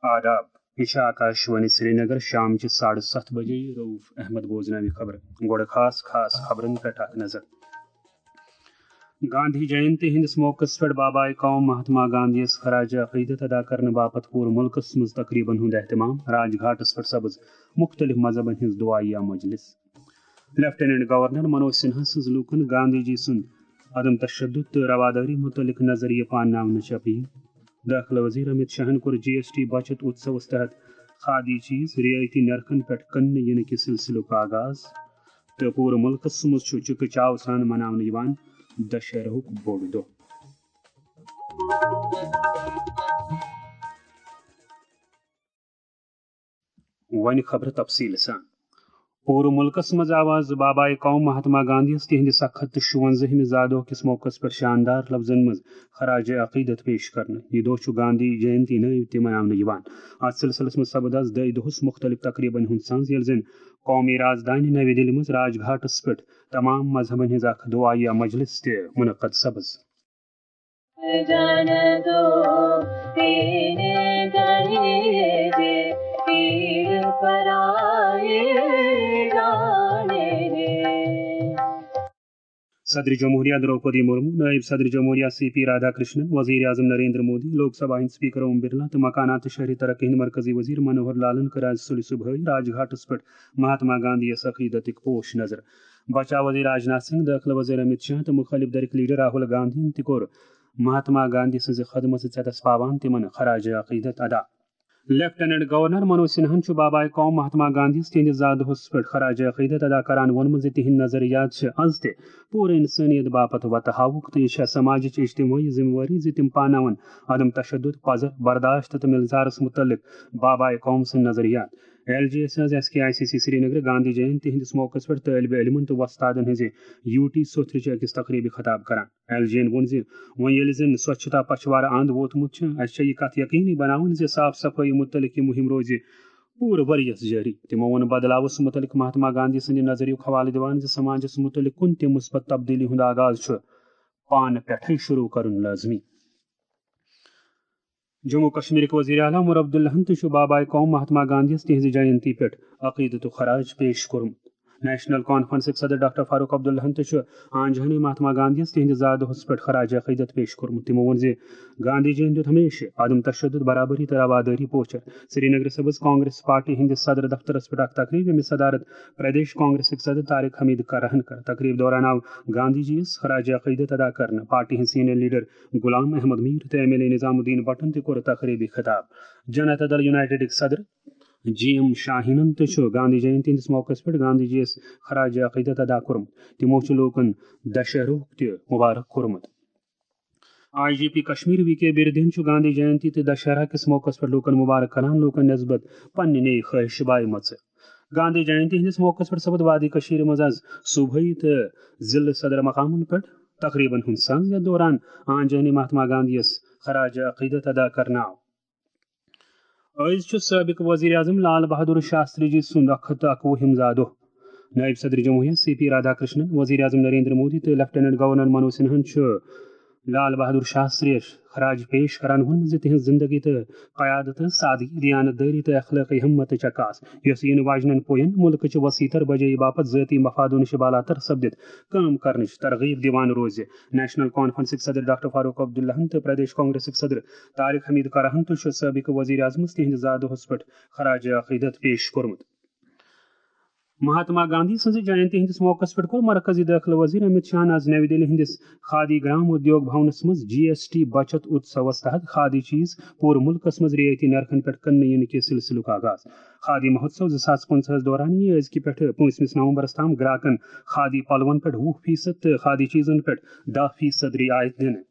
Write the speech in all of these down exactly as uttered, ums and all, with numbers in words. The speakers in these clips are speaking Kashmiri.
آداب۔ یہِ چھِ آکاشوانی سرینگر۔ شام چہِ ساڑٕ ستھ بجے۔ رؤف احمد بوزناوِ خبرٕ۔ گۄڈٕ خاص خاص خبرن پٮ۪ٹھ اکھ نظر۔ گاندھی جینتی ہٕنٛدِس موقعس پٮ۪ٹھ بابائے قوم مہاتما گاندھی یَس خراج عقیدت ادا کرنہٕ باپتھ پوٗرٕ مُلکس منٛز تقریبن ہُنٛد اہتمام۔ راج گھاٹس پٮ۪ٹھ سپٕز مُختٔلِف مذہبن ہٕنٛز دُعایہ مجلس۔ لیفٹیننٹ گورنر منوج سنہا سٕنٛز لوٗکن گاندھی جی سُنٛد عدم تشدد تہٕ روادٲری مُتعلق نظریہ پانناونٕچ اپیل۔ دٲخلہٕ وزیر امیت شاہن کوٚر جی ایس ٹی بچت اتسوس تحت کھادی چیز رعایتی نرخن پٮ۪ٹھ کٕننہٕ ینہٕ کہِ سلسلُک آغاز۔ تہٕ پوٗرٕ مُلکس منٛز چھُ چکہ چاو سان مناونہٕ یِوان دشہرہُک بوٚڑ دۄہ۔ وۄنۍ خبرٕ تفصیٖل سان۔ پوٗرٕ مُلکس منٛز آو آز بابائے قوم مہاتما گاندھی یَس تِہنٛدِ سَتھ ہَتھ تہٕ شُوَنزٲہِمہِ زا دۄہ کِس موقعس پٮ۪ٹھ شاندار لفظن منٛز خراج عقیدت پیش کرنہٕ۔ یہِ دۄہ چھُ گاندھی جینتی نٲوۍ تہِ مناونہٕ یِوان۔ اَتھ سلسلس منٛز سپُد آز دۄیہِ دۄہس مُختٔلِف تقریبن ہُنٛد سنز، ییٚلہِ زن قومی رازدانہِ نَوِ دِلہِ منٛز راج گھاٹس پٮ۪ٹھ تمام مذہبن ہٕنٛز اکھ دُعایہ مجلس تہِ منعقد سپٕز۔ جان دو تیرے گلے جے تیر پرائے جانے۔ صدر جمہوریہ دروپدی مرمو، نائب صدر جمہوریہ سی پی رادھا کرشنن، وزیر اعظم نریندر مودی، لوک سبھا ہٕنٛدۍ سپیکر اوم برلا تہٕ مکانات تہٕ شہری ترقی ہٕنٛدۍ مرکزی وزیر منوہر لالن کٔر آز سُلہِ صبحٲے راج گھاٹس پٮ۪ٹھ مہاتما گاندھی یس عقیدتٕکۍ پوش نظر۔ بچاو وزیر راجناتھ سنگھ، دٲخلہٕ وزیر امیت شاہ تہٕ مُخٲلِف دھرِکۍ لیڈر راہل گاندھین تہِ کوٚر مہاتما گاندھی سٕنٛزِ خدمژ ژیتس پاوان تِمن خراج عقیدت ادا۔ لیفٹیننٹ گورنر منوج سنہاہن چھُ بابائے قوم مہاتما گاندھی یس تِہنٛدِس زا دۄہس پٮ۪ٹھ خراج عقیدت ادا کران ووٚنمُت زِ تِہنٛدۍ نظریات چھِ از تہِ پوٗرٕ انسٲنیت باپتھ وتہٕ ہاوُک تہٕ یہِ چھےٚ سماجٕچ اجتمٲعی ذمہٕ وٲری زِ تِم پاناوَن عدم تشدد، پزر، برداشت تہٕ ملزارس مُتعلق بابائے قوم سٕنٛدۍ نظریات۔ ایل جی ایس آز S K I C C Srinagar Gandhi Jayanti ہٕنٛدِس موقعس پٮ۪ٹھ طٲلبِ علمن تہٕ وۄستادن ہٕنٛزِ یوٗ ٹی سوٚتھرِ چہِ أکِس تقریبہِ خطاب کران۔ ایل جی یَن ووٚن زِ وۄنۍ ییٚلہِ زن سوچھتا پچھوارٕ اند ووتمُت چھُ، اسہِ چھےٚ یہِ کتھ یقینی بناوٕنۍ زِ صاف صفٲیی مُتعلق یہِ مُہِم روزِ پوٗرٕ ؤرۍ یَس جٲری۔ تِمو ووٚن بدلاوس مُتعلق مہاتما گاندھی سٕنٛدِ نظریُک حوالہٕ دِوان زِ سماجس مُتعلق کُنہِ تہِ مثبت تبدیلی ہُنٛد آغاز چھُ پانہٕ پٮ۪ٹھٕے شروع کرُن لٲزمی۔ جموں کشمیرٕکۍ وزیر اعلیٰ عمر عبداللہن تہِ چھُ بابائے قوم مہاتما گاندھی یَس تِہنٛزِ جینتی پٮ۪ٹھ عقیدتُک خراج پیش کوٚرمُت۔ نیشنل کانفرنسٕکۍ صدر ڈاکٹر فاروق عبداللہن تہِ چھُ آنجہانی مہاتما گاندھی یَس تِہنٛدِ زا دۄہس پٮ۪ٹھ خراج عقیدت پیش کوٚرمُت۔ تِمو ووٚن زِ گاندھی جی یَن دیُت ہمیشہٕ عدم تشدد، برابری تہٕ روادٲری پوچھر۔ سرینگرٕ سپٕز کانگریس پارٹی ہٕنٛدِس صدر دفترس پٮ۪ٹھ اکھ تقریب، ییٚمِچ صدارت پردیش کانگریسٕکۍ صدر طارق حمید کرہن کٔر۔ تقریب دوران آو گاندھی جی یَس خراج عقیدت ادا کرنہٕ۔ پارٹی ہٕنٛدۍ سینئر لیڈر غلام احمد میر تہٕ ایم ایل اے نظام الدین بٹن تہِ کوٚر تقریبی خطاب۔ جنتا دل یونائیٹڈٕکۍ صدر جی ایم شاہینن تہِ چھُ گاندھی جینتی ہٕنٛدِس موقعس پٮ۪ٹھ گاندھی جی یَس خراج عقیدت ادا کوٚرمُت۔ تِمو چھُ لوٗکن دشہرُک تہِ مبارک کوٚرمُت۔ I G P Kashmir V K بیردین چھُ گاندھی جینتی تہٕ دشہرا کِس موقعس پٮ۪ٹھ لوٗکن مبارک کران، لوٗکن نسبت پننہِ نیک خواہش بایمژٕ۔ گاندھی جینتی ہٕنٛدِس موقعس پٮ۪ٹھ سپُد وادی کشمیر منٛز آز صوبٲئی تہٕ ضلعہٕ صدر مقامن پٮ۪ٹھ تقریبن ہُنٛد سنز، یتھ دوران آنجہانی مہاتما گاندھی یَس خراج عقیدت ادا کرنہٕ آو۔ أزۍ چھُ سٲبِق وزیر اعظم لال بہادر شاستری جی سُنٛد اکھ ہتھ تہٕ اکوُہِم زا دۄہ۔ نائب صدر جمہوریہ سی پی رادھا کرشنن، وزیر اعظم نریندر مودی تہٕ لیفٹیننٹ گورنر منوج سنہاہن چھُ لال بہادر شاستری یَس خراج پیش کران ووٚنمُت زِ تِہنٛز زندگی تہٕ قیادت ٲس سادگی، دیانت دٲری تہٕ اخلٲقی ہمتٕچ عکاس، یۄس یِنہٕ واجنٮ۪ن پوین مُلکٕچہِ وسیع تر بجٲیی باپتھ ذٲتی مفادو نِش بالاتر سپدِتھ کٲم کرنٕچ ترغیب دِوان روزِ۔ نیشنل کانفرنسٕکۍ صدر ڈاکٹر فاروق عبداللہن تہٕ پردیش کانگریسٕکۍ صدر طارق حمید کرہن تہِ چھُ سابق وزیر اعظمس تِہنٛدِ زا دۄہس پٮ۪ٹھ خراج عقیدت پیش کوٚرمُت۔ مہاتما گاندھی سٕنٛزِ جینتی ہٕنٛدِس موقعس پٮ۪ٹھ کوٚر مرکزی دٲخلہٕ وزیر امیت شاہن آز نَوِ دِلہِ ہٕنٛدِس خادی گرام ادیوگ بھونس منٛز جی ایس ٹی بچت اتسوس تحت کھادی چیز پوٗرٕ مُلکس منٛز رعایتی نرخن پٮ۪ٹھ کٕننہٕ یِنہٕ کِس سلسلُک آغاز۔ خادی مہوتسو زٕ ساس پٕنٛژٕہس دوران یِیہِ أزکہِ پٮ۪ٹھٕ پوٗنٛژمِس نومبرس تام گراکن خادی پلون پٮ۪ٹھ وُہ فیصد تہٕ خادی چیزن پٮ۪ٹھ دَہ فیصد رعایت دِنہٕ۔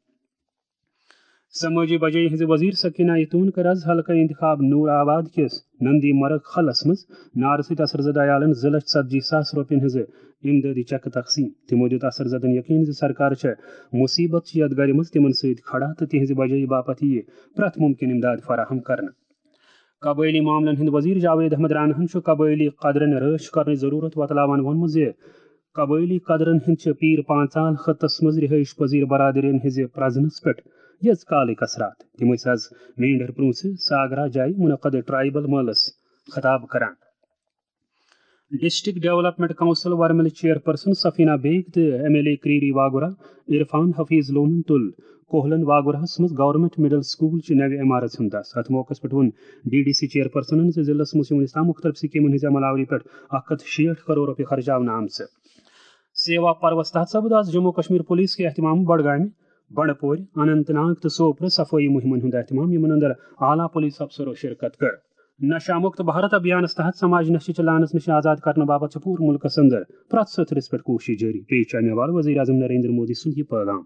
سمٲجی بجٲیی ہٕنٛزِ وزیر سکینہ ایتون کٔر آز حلقہٕ انتخاب نور آباد کِس نندی مرگ خلس منٛز نارٕ سۭتۍ اثر زدٕ عیالن زٕ لچھ ژتجی ساس رۄپین ہٕنٛزٕ امدادی چیکہٕ تقسیٖم۔ تِمو دیُت اثر زدن یقین زِ سرکار چھےٚ مصیبت چہِ یتھ گرِ منٛز تِمن سۭتۍ کھڑا تہٕ تِہنٛزِ بجٲیی باپتھ یِیہِ پرٛٮ۪تھ مُمکِن امداد فراہم کرنہٕ۔ قبٲئلی معاملن ہٕنٛدۍ وزیر جاوید احمد راناہن چھُ قبٲئلی قدرن رٲچھ کرنٕچ ضروٗرت وۄتلاوان ووٚنمُت زِ قبٲئلی قدرن ہٕنٛدۍ چھِ پیٖر پانٛژال خطس منٛز رہٲیِش پذیٖر برادرین ہٕنٛزِ پرزنس پٮ۪ٹھ یٔژ کالٕکۍ اثرات۔ تِم ٲسۍ از مینڈر پرونسہِ ساگرا جایہِ منعقد ٹرائبل مٲلس خطاب کران۔ ڈسٹرکٹ ڈیولپمنٹ کونسل ورملہِ چیئرپرسن سفینہ بیگ تہٕ M L A Kreeri Wagoora Irfan Hafeez لونن تُل کوہلن واگوراہس منٛز گورنمنٹ مڈل سکول چہِ نوِ عمارژ ہُنٛد دس۔ اتھ موقعس پٮ۪ٹھ ووٚن ڈی ڈی سی چیئرپرسنن زِ ضلعس منٛز چھِ وُنیُس تام مُختٔلِف سکیمن ہٕنٛزِ عمل آوری پٮ۪ٹھ اکھ ہتھ شیٹھ کرور رۄپیہِ خرچاونہٕ آمژٕ۔ سیوا پروس تحت سپُد آز جموں کشمیر پولیس کہِ اہتمام بڈگامہِ، بنڈپورِ، اننت ناگ تہٕ سوپرٕ صفٲیی مُہِمن ہُنٛد اہتمام، یِمن اندر اعلیٰ پولیس افسرو شرکت کٔر۔ نشہ مکت بھارت ابھیانس تحت سماج نشہ چہ لعنس نش آزاد کرنہٕ باپتھ چھِ پوٗرٕ ملکس اندر پرٛٮ۪تھ سطحس پٮ۪ٹھ کوٗشش جٲری۔ پیش چھُ امہِ حوالہٕ وزیر اعظم نریندر مودی سُنٛد یہِ پیغام۔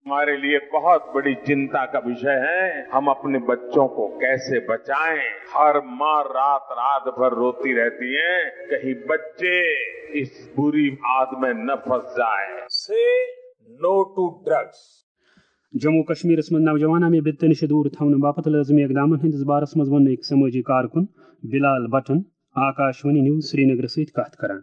हमारे लिए बहुत बड़ी चिंता का विषय है, हम अपने बच्चों को कैसे बचाएं। हर माँ रात रात भर रोती रहती है, कहीं बच्चे इस बुरी आदत में न फंस जाए। Say no to drugs. Jammu و کشمیرس منٛز نوجوان امہِ بدعت نِش دوٗر تھاونہٕ باپتھ لٲزمی اقدامن ہٕنٛدِس بارس منٛز ووٚن أکۍ سمٲجی کارکُن بلال بٹن آکاشوانی نیوز سرینگرٕ سۭتۍ کتھ کران۔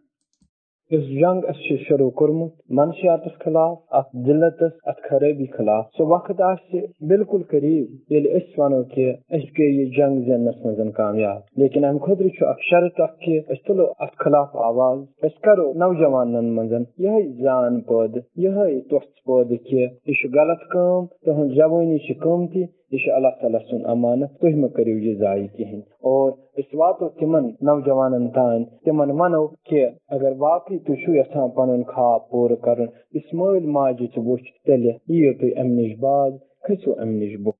یُس جنگ اَسہِ چھُ شروٗع کوٚرمُت منشیاتس خلاف، اتھ ذلتس، اتھ خرٲبی خلاف، سُہ وقت آسہِ بالکل قریب ییٚلہِ أسۍ ونو کہِ أسۍ گٔے یہِ جنگ زیننس منٛز کامیاب۔ لیکن امہِ خٲطرٕ چھُ اکھ شرط اکھ کہِ أسۍ تُلو اتھ خلاف آواز، أسۍ کرو نوجوانن منٛز یِہے زان پٲدٕ، یِہے تۄژھ پٲدٕ کہِ یہِ چھُ غلط کٲم، تُہنٛز جوٲنی چھِ قۭمتی، یہِ چھُ اللہ تعالیٰ سُنٛد امانت، تُہۍ مہ کٔرِو یہِ ضایع کِہیٖنۍ۔ اور أسۍ واتو تِمن نوجوانن تام، تِمن ونو کہِ اگر واقعی تُہۍ چھِو یژھان پنُن خواب پوٗرٕ کرُن، یُس مٲلۍ ماجہِ تہِ وُچھ، تیٚلہِ یِیِو تُہۍ امہِ نِش باز، کھٔسِو امہِ نِش بۄن۔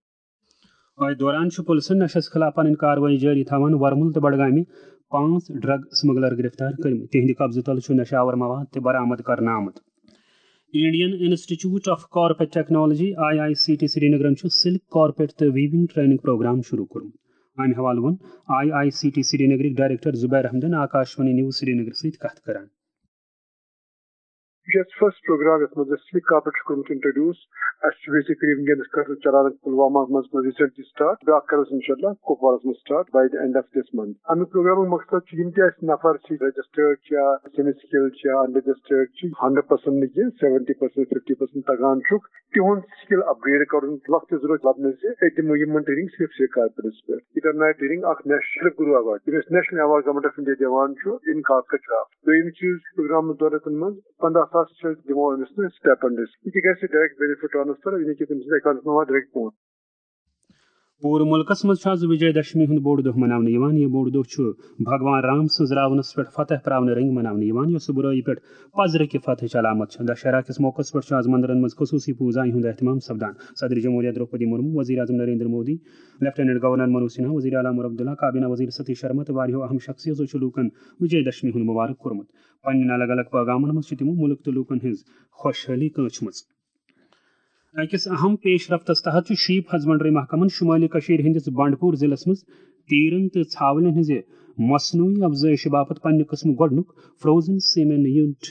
أتھۍ دوران چھُ پُلسَن نشس خلاف پنٕنۍ کاروٲیی جٲری تھاوان۔ ورمُل تہٕ بڈگامہِ پانٛژھ ڈرگ سمگلر گرفتار کٔرمٕتۍ۔ تِہنٛدِ قبضہٕ تل چھُ نشہٕ آور مواد تہِ برآمد کرنہٕ آمُت۔ Indian institute of carpet technology, I I C T سرینگرن چھُ سلک کارپیٹ تہٕ ویونگ ٹریننگ پروگرام شروع کوٚرمُت۔ امہِ حوالہٕ ووٚن آئی آئی سی ٹی سرینگرٕکۍ ڈائریکٹر زبیر احمدن آکاشوانی نیوز سرینگر سۭتۍ کتھ کران۔ یہِ چھُ اَسہِ فرسٹ پروگرام یَتھ منٛز اَسہِ سلک کارپیٹ چھُ کوٚرمُت انٹروڈیوس۔ اَسہِ چھُ بیسکلی وٕنکیٚنَس کَرُن چلاوان پُلوامہ منٛز کوٚر ریٖسنٹلی سٹارٹ، بیٛاکھ کَرو أسۍ اِنشاءاللہ کُپوارَس منٛز start by the end of this month. اَمیُک پروگرامُک مقصد چھُ یِم تہِ اَسہِ نفر چھِ رجسٹٲرڈ چھا، سیمی سکل چھا، انرجسٹٲرڈ چھِ، ہنڈریڈ پرسنٹ نہٕ کینٛہہ، سیونٹی پرسنٹ، ففٹی پرسنٹ تَگان چھُکھ، تِہُنٛد سکل اپگریڈ کَرُن۔ وقتٕچ ضروٗرت لَبنہٕ زِ أسۍ دِمو یِمَن ٹریننگ صرف سلک کارپیٹَس پٮ۪ٹھ۔ یہِ کَرنایہِ ٹریننگ اَکھ نیشنل گرو ایوارڈ، ییٚمِس national award government of India دِوان چھُ ان کارپیٹ کرافٹ۔ دوٚیِم چیٖز، پروگرامَس دوران منٛز پنداہ ساس چھِ أسۍ دِوان أمِس نہٕ سٹیپنڈس۔ یہِ تہِ گژھِ ڈائریکٹ بینیفٹ ٹرانسفر، یعنی کہِ تٔمۍ سٕنٛز اکاؤنٹس منٛز واتہِ ڈائریکٹ پونٛسہٕ۔ پوٗرٕ مُلکَس منٛز چھُ آز وجے دشمی ہُنٛد بوٚڑ دۄہ مناونہٕ یِوان۔ یہِ بوٚڑ دۄہ چھُ بھگوان رام سٕنٛز راونَس پٮ۪ٹھ فتح پراونہٕ رٔنٛگۍ مناونہٕ یِوان، یۄس بُرٲیی پٮ۪ٹھ پزرٕ کہِ فتحٕچ علامت چھِ۔ دشہرا کِس موقعس پٮ۪ٹھ چھُ آز مندرَن منٛز خصوٗصی پوٗزاہَن ہُنٛد اہتمام سپدان۔ صدر جمہوریہ درٛوپدی مُرموٗ، وزیر اعظم نریندر مودی، لیفٹیننٹ گورنر منوج سنہا، وزیر اعلیٰ عمر عبداللہ، کابینہ وزیر ستیش شرما تہٕ واریاہو اہم شخصیژو چھُ لوٗکَن وجے دشمی ہُنٛد مبارک کوٚرمُت۔ پننٮ۪ن الگ الگ پٲغامَن منٛز چھِ تِمو مُلک تہٕ لوٗکَن ہٕنٛز خۄشحٲلی کٲنٛچھمٕژ۔ أکِس اہم پیش رفتس تحت چھُ شیپ ہسبنڈری محکمن شمٲلی کٔشیٖرِ ہٕنٛدِس بنڈپور ضلعس منٛز تیٖرن تہٕ ژھاولٮ۪ن ہٕنٛزِ مصنوعی افزٲیشہِ باپتھ پننہِ قٕسمٕک گۄڈٕنیُک فروزن سیمن یونٹ،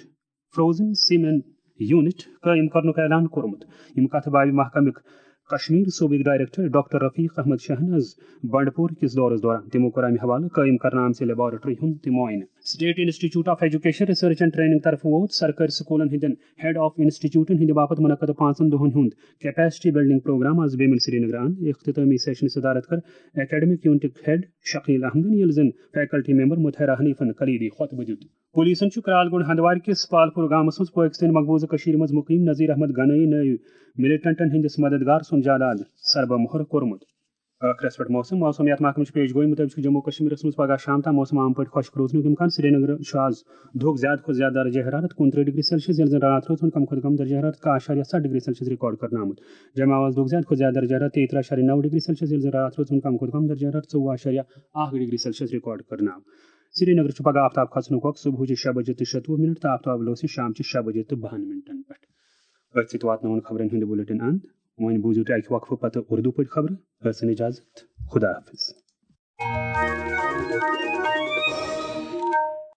فروزن سیمن یونٹ قٲیِم کرنُک اعلان کوٚرمُت۔ یِم کتھٕ بابہِ محکمٕکۍ کشمیر صوبٕکۍ ڈائریکٹر ڈاکٹر رفیق احمد شاہن آز بنڈپور کِس دورس دوران۔ تِمو کوٚر امہِ حوالہٕ قٲیِم کرنہٕ آمژِ لیبارٹری ہُنٛد تہِ معائنہٕ۔ State institute of education research and training طرفہٕ ووت سرکٲرۍ سکوٗلن ہٕنٛدٮ۪ن ہیڈ آف انسٹیٹیوٹن ہٕنٛدِ باپتھ منعقد پانٛژن دۄہن ہُنٛد کیپیسٹی بلڈنگ پروگرام آز بیمل سرینگر اند۔ اختتامی سیشنہِ صدارت کٔر اکیڈمک یونٹٕکۍ ہیڈ شکیل احمدن، ییٚلہِ زن فیکلٹی ممبر مطہرہ حنیفن کلیدی خطبہٕ دیُت۔ پولیسن چھُ کرالگونڈ ہندوارِ کِس پالپور گامس منٛز پٲکستٲنۍ مقبوضہٕ کٔشیٖرِ منٛز مُقیم نذیر احمد گنٲیی نٲوۍ ملیٹنٹن ہٕنٛدِس مددگار سُنٛد جائیداد سربہٕ مۄہر کوٚرمُت۔ ٲخرس پٮ۪ٹھ موسم۔ موسمیات محکمہٕ چھِ پیش گویی مُطٲبِق چھُ جموں و کشمیرس منٛز پگہہ شام تام موسم عام پٲٹھۍ خۄشک روزنُک امکان۔ سرینگرٕ چھُ آز دُہُک زیادٕ کھۄتہٕ زیادٕ درجہ حرارت کُنترٕہ ڈگری سیلسیس، ییٚلہِ زن راتھ روز ہُنٛد کم کھۄتہٕ کم درجہ حرارت کاہ اعشاریہ ستھ ڈگری سیلسیس ریکارڈ کرنہٕ آمُت۔ جمعہ آز دُہُک زیادٕ کھۄتہٕ زیادٕ درجہ حرارت تیٚیہِ ترٕہ اعشاریہ نو ڈگری سیلسیس، ییٚلہِ زن راتھ روز ہُنٛد کم کھۄتہٕ کم درجہ حرارت ژوٚوُہ اعشاریہ اکھ ڈگری سیلسیس ریکارڈ کرنہٕ آمُت۔ سرینگرٕ چھُ پگہہ آفتاب کھسنُک وقت صبحٕچہِ شےٚ بجے تہٕ شَتوُہ منٹ تہٕ آفتاب لوسہِ شامچہِ شےٚ بجے تہٕ بَہَن منٹن پٮ۪ٹھ۔ أتھۍ سۭتۍ واتناوون خبرن ہُنٛد بُلٹن اند۔ وۄنۍ بوٗزِو تُہۍ اکہِ وقفہٕ پتہٕ اردو پٲٹھۍ خبرٕ۔ ٲسِن اجازت۔ خدا حافظ۔